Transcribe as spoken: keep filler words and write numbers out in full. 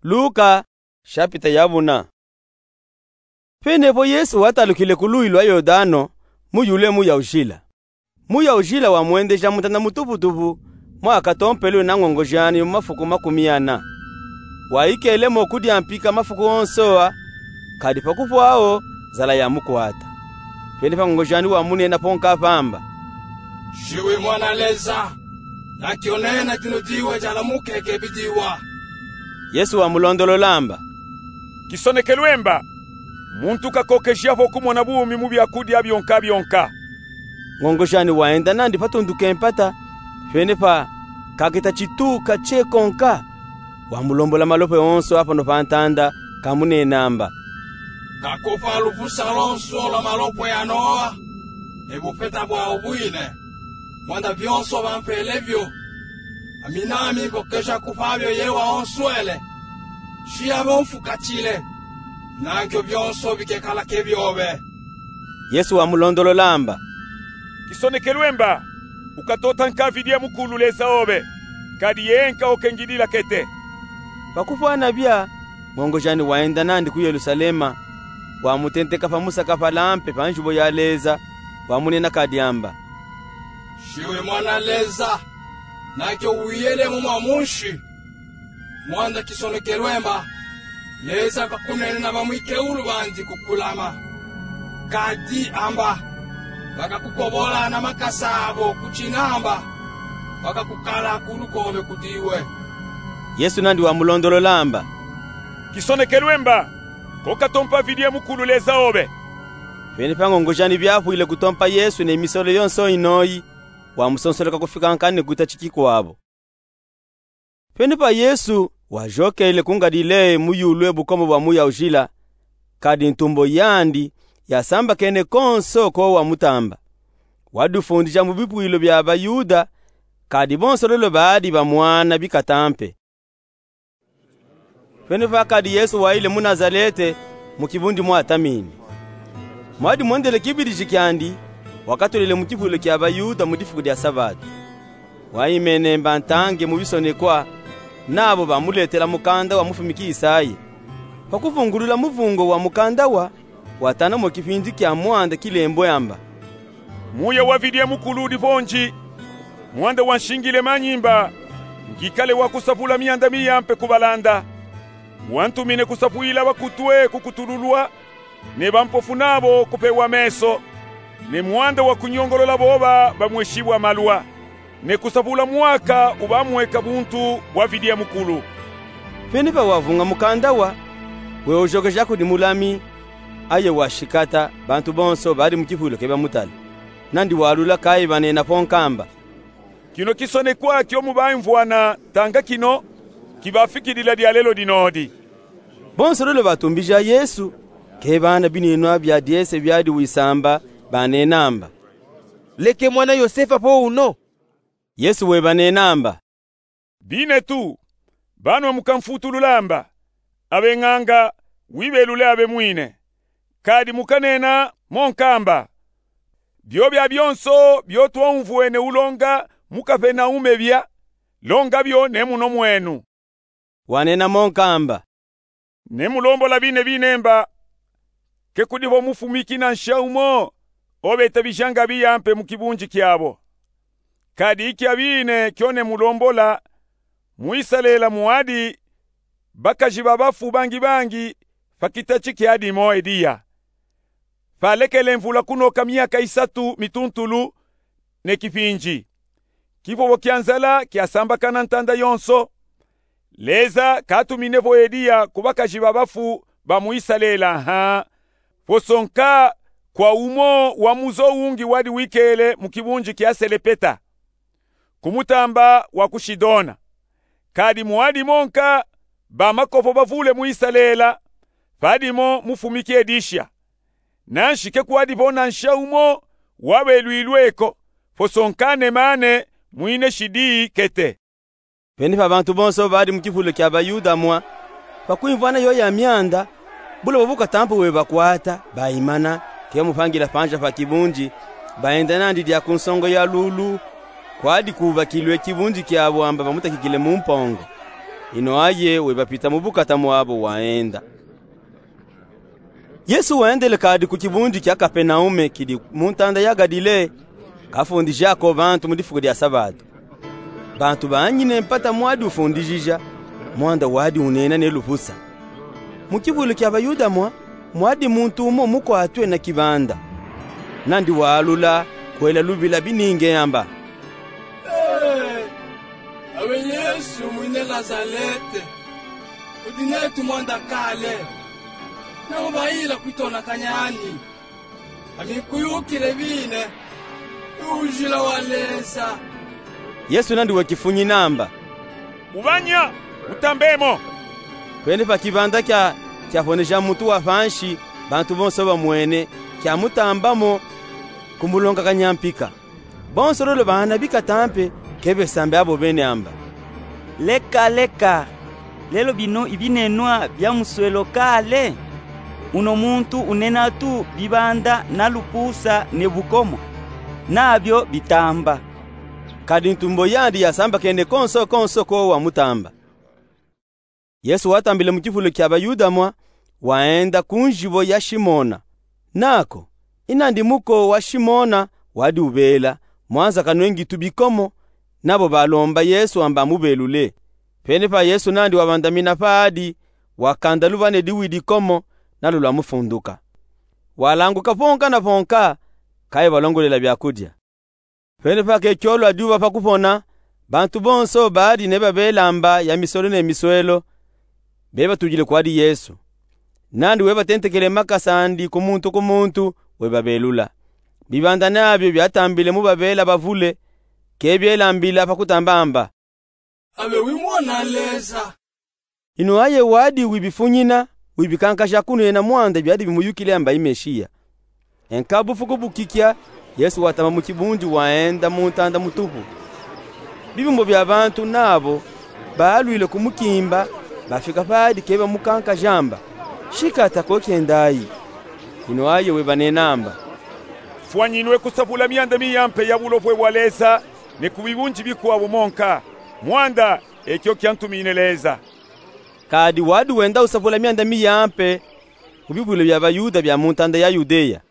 Luka, shapita ya buna. Pene po Yesu watalukile ku luyi lwa Yordano, mu yulu e muyaujila. Muyaujila wamwendeja mu ntanda mutuputupu, mwa katompelwe na ngongojani mu mafuku makumi ana. Wayikele mo kudia mpika mafuku onso a, kadi pa kupwa wo, nzala yamukwata. Pene pa ngongojani wamunena po nka pamba: Nsi wi Mwana Leza, na kio nene tinu diwe dialamukeke bidiwa. Yesu wamulondolola amba: Kisonekelwe mba, muntu kakokeja vo kumona bumi mu byakudia byonka byonka. Ngongojani wayenda nandi pa tundu kempata, pene pa kaketa tituka kye konka, wamulombola malopwe onso a pano pa ntanda, kamunena amba: Kakupa lupusa lonso lwa malopwe ano a, e bupeta bwawu bwine, mwanda byonso bampele byo. Ami nami nkokeja kupa byo ye wawonswele. Nsi ya bomfukatile, na nkyo byonso bikekala ke byobe. Yesu wamulondolola amba: Kisonekelwe mba, ukatota nka Vidiye Mukulu Leza obe, kadi yee nka okengidila kete. Pa kupwana bya, ngongojani wayenda nandi ku Yelusalema, wamutenteka pa musakapala mpe pa njubo ya Leza, wamunena kadi amba: Nsi wi Mwana Leza, na kio wiyele mo mwa munsi. Mwanda kisonekelwe mba, Leza kakunene na bamwikeulu bandi kukulama. Kadi amba, bakakukobola na makasa abo ku kinamba, bakakukala ku lukobe kudiwe. Yesu nandi wamulondolola amba: Kisonekelwe mba, ko katompa Vidiye Mukulu Leza obe. Pene pa ngongojani byapwile kutompa Yesu ne misole yonso inoyi, wamusonsoloka kufika nka ne kuta ki kikwabo. Pene pa Yesu wajokele ku Ngalileya mu yulu e bukombo bwa muyaujila, kadi ntumbo yandi yasambakene konso ko wamutamba. Wadifundija mu bipwilo bya Bayuda, kadi bonso lolo baadi bamwana bikata mpe. Pene pa kadi Yesu wayile mu Nazalete, mu kibundi mwatamini. Mwadi mwendele kibiliji kyandi, wakatolele mu kipwilo kya Bayuda mu difuku dya Sabata. Wayimene mba ntange mu bisonekwa, nabo bamuletela mukanda wa mufumiki Isaya. Pa kuvungulula muvungo wa mukanda wa, watana mo kipindi kya mwanda kilembwe amba: Muya wa Vidiye Mukulu udi ponji, mwanda wanshingile manyimba, ngikale wa kusapula myanda miya mpe kubalanda. Wantumine kusapwila bakutwe kukutululwa, ne bampofu nabo kupewa meso, ne mwanda wa kunyongolola boba bamweshibwa malwa, ne kusapula mwaka ubamweka buntu bwa Vidiye Mukulu. Pene pa wavunga mukanda wa, wewojokeja kudi mulami, aye washikata, bantu bonso badi mu kipwilo ke bamutala. Nandi walula kayi banena po nkamba: Kino kisonekwa kyo mu baimvwana tanga kino, kibafikidila dyalelo dinodi. Bonso lolo batumbija Yesu, ke bana binenwa bya dyese byadi wisamba, banena amba: Leke mwana Yosefa po uno. Yesu webanena amba: Binetu, banwe mukamfutulula amba, abeñanga, wibelule abe mwine. Kadi mukanena mo nkamba: Byo bya byonso byo twaumvwene ulonga mu Kapenaume bya, longa byo ne muno mwenu. Wanena mo nkamba: Nemulombola bine bine mba, ke kudi bo mufumiki nansha umo, obetabijanga biya mpe mu kibunji kyabo. Kadi ikya bine kyo nemulombola, mu Isalele mwadi bakaji ba bafu bangi bangi, pa kita ki kyadimo Eliya. Palekele mvula kunoka myaka isatu mituntulu ne kipinji. Kipobo kya nzala kyasambakana ntanda yonso. Leza katumine po Eliya ku bakaji ba bafu ba mu Isalele ha, po sonka kwa umo wa muzo ungi wadi wikele mu kibunji kya Selepeta, ku mutamba wa ku Sidona. Kadi mwadi monka ba makopo bavule mu Isalele, padimo mufumiki Elisha. Nanshi ke kwadi po nansha umo wabelwilwe ko, po sonka Nemane mwine shidi kete. Pene pa bantu bonso badi mu kipululu kya Bayuda mwa, pa kwimvwana yoya myanda, buloba bu katampu webakwata, baimana, ke bamupangila panja pa kibunji, baenda nandi dya ku nsongo ya lulu, kwadi kubakilwe kibunji kyabo amba bamutakikile mu mpongo. Ino aye webapita mu bukata mwabo, waenda. Yesu wendele kadi ku kibundi kia Kapenaume, kidi mu ntanda ya Gadilea, kafundijako bantu mu difuku dia Sabatu. Bantu banyine mpata mwadi ufundijija, mwanda wadi unena ne lupusa. Mu kivulu kia Bayuda mwa, mwadi muntu umo mukwatwe na kibanda. Nandi walula kwela lubila bininge amba: Ee, awe Yesu mwine Nazalete, udi netu mwanda kale, na ubayila kwitonakanya ani? Ami nkuyukile bine, Ujila wa Leza. Yesu nandi wekifunyi namba: Ubanya, utambemo. Pene pa kibanda kia, kiaponeja muntu wa pansi, bantu bonso bamwene, kiamutambamo, kumulongakanya mpika. Bonso lolo baana bikata mpe, ke besambe abo bene amba: Leka, leka, lelo bino ibinenwa bia muswelo kale? Uno muntu unena tu bibanda na lupusa ne bukomo, nabio bitamba. Kadi ntumbo yandi yasambakene konso konso ko wamutamba. Yesu watambile mu kivulu kia Bayuda mwa, waenda ku nzibo ya Simona. Nako, inandi muko wa Simona wadi ubela, mwanza kanwengi tu bikomo, nabo balomba Yesu amba amubelule. Pene pa Yesu nandi wabandamina paadi, wakanda luba ne diwi dikomo, nalo lwamufunduka. Walanguka ponka na ponka, kaye balongolela biakudia. Pene pa ke kiolo adi uba pa kupona, bantu bonso badi nebabela amba ya miswelo ne miswelo, bebatudile kwadi Yesu. Nandi webatentekele makasa andi ku muntu ku muntu, webabelula. Bibanda nabio biatambile mu babela bavule, ke biela mbila pa kutamba amba: Abe wi Mwana Leza. Ino aye wadi wibifunyina, wibikankaja kunena mwanda biadi bimuyukile amba i Mesiya. Enka bufuku bukikia, Yesu watama mu kibundi waenda mu ntanda mutupu. Bibumbo bia bantu nabo balwile kumukimba, bafika paadi ke bamukankaja amba: Shikata ko kiendayi. Ino aye webanena amba: Fwanyinwe kusapula mianda miyampe ya Bulopwe bwa Leza, ne ku bibundi bikwabu monka. Mwanda, ekio kiantumine Leza. Kadi wadi wenda usapula mianda miyampe ku bibwilo bia Bayuda bia mu ntanda ya Yudeya.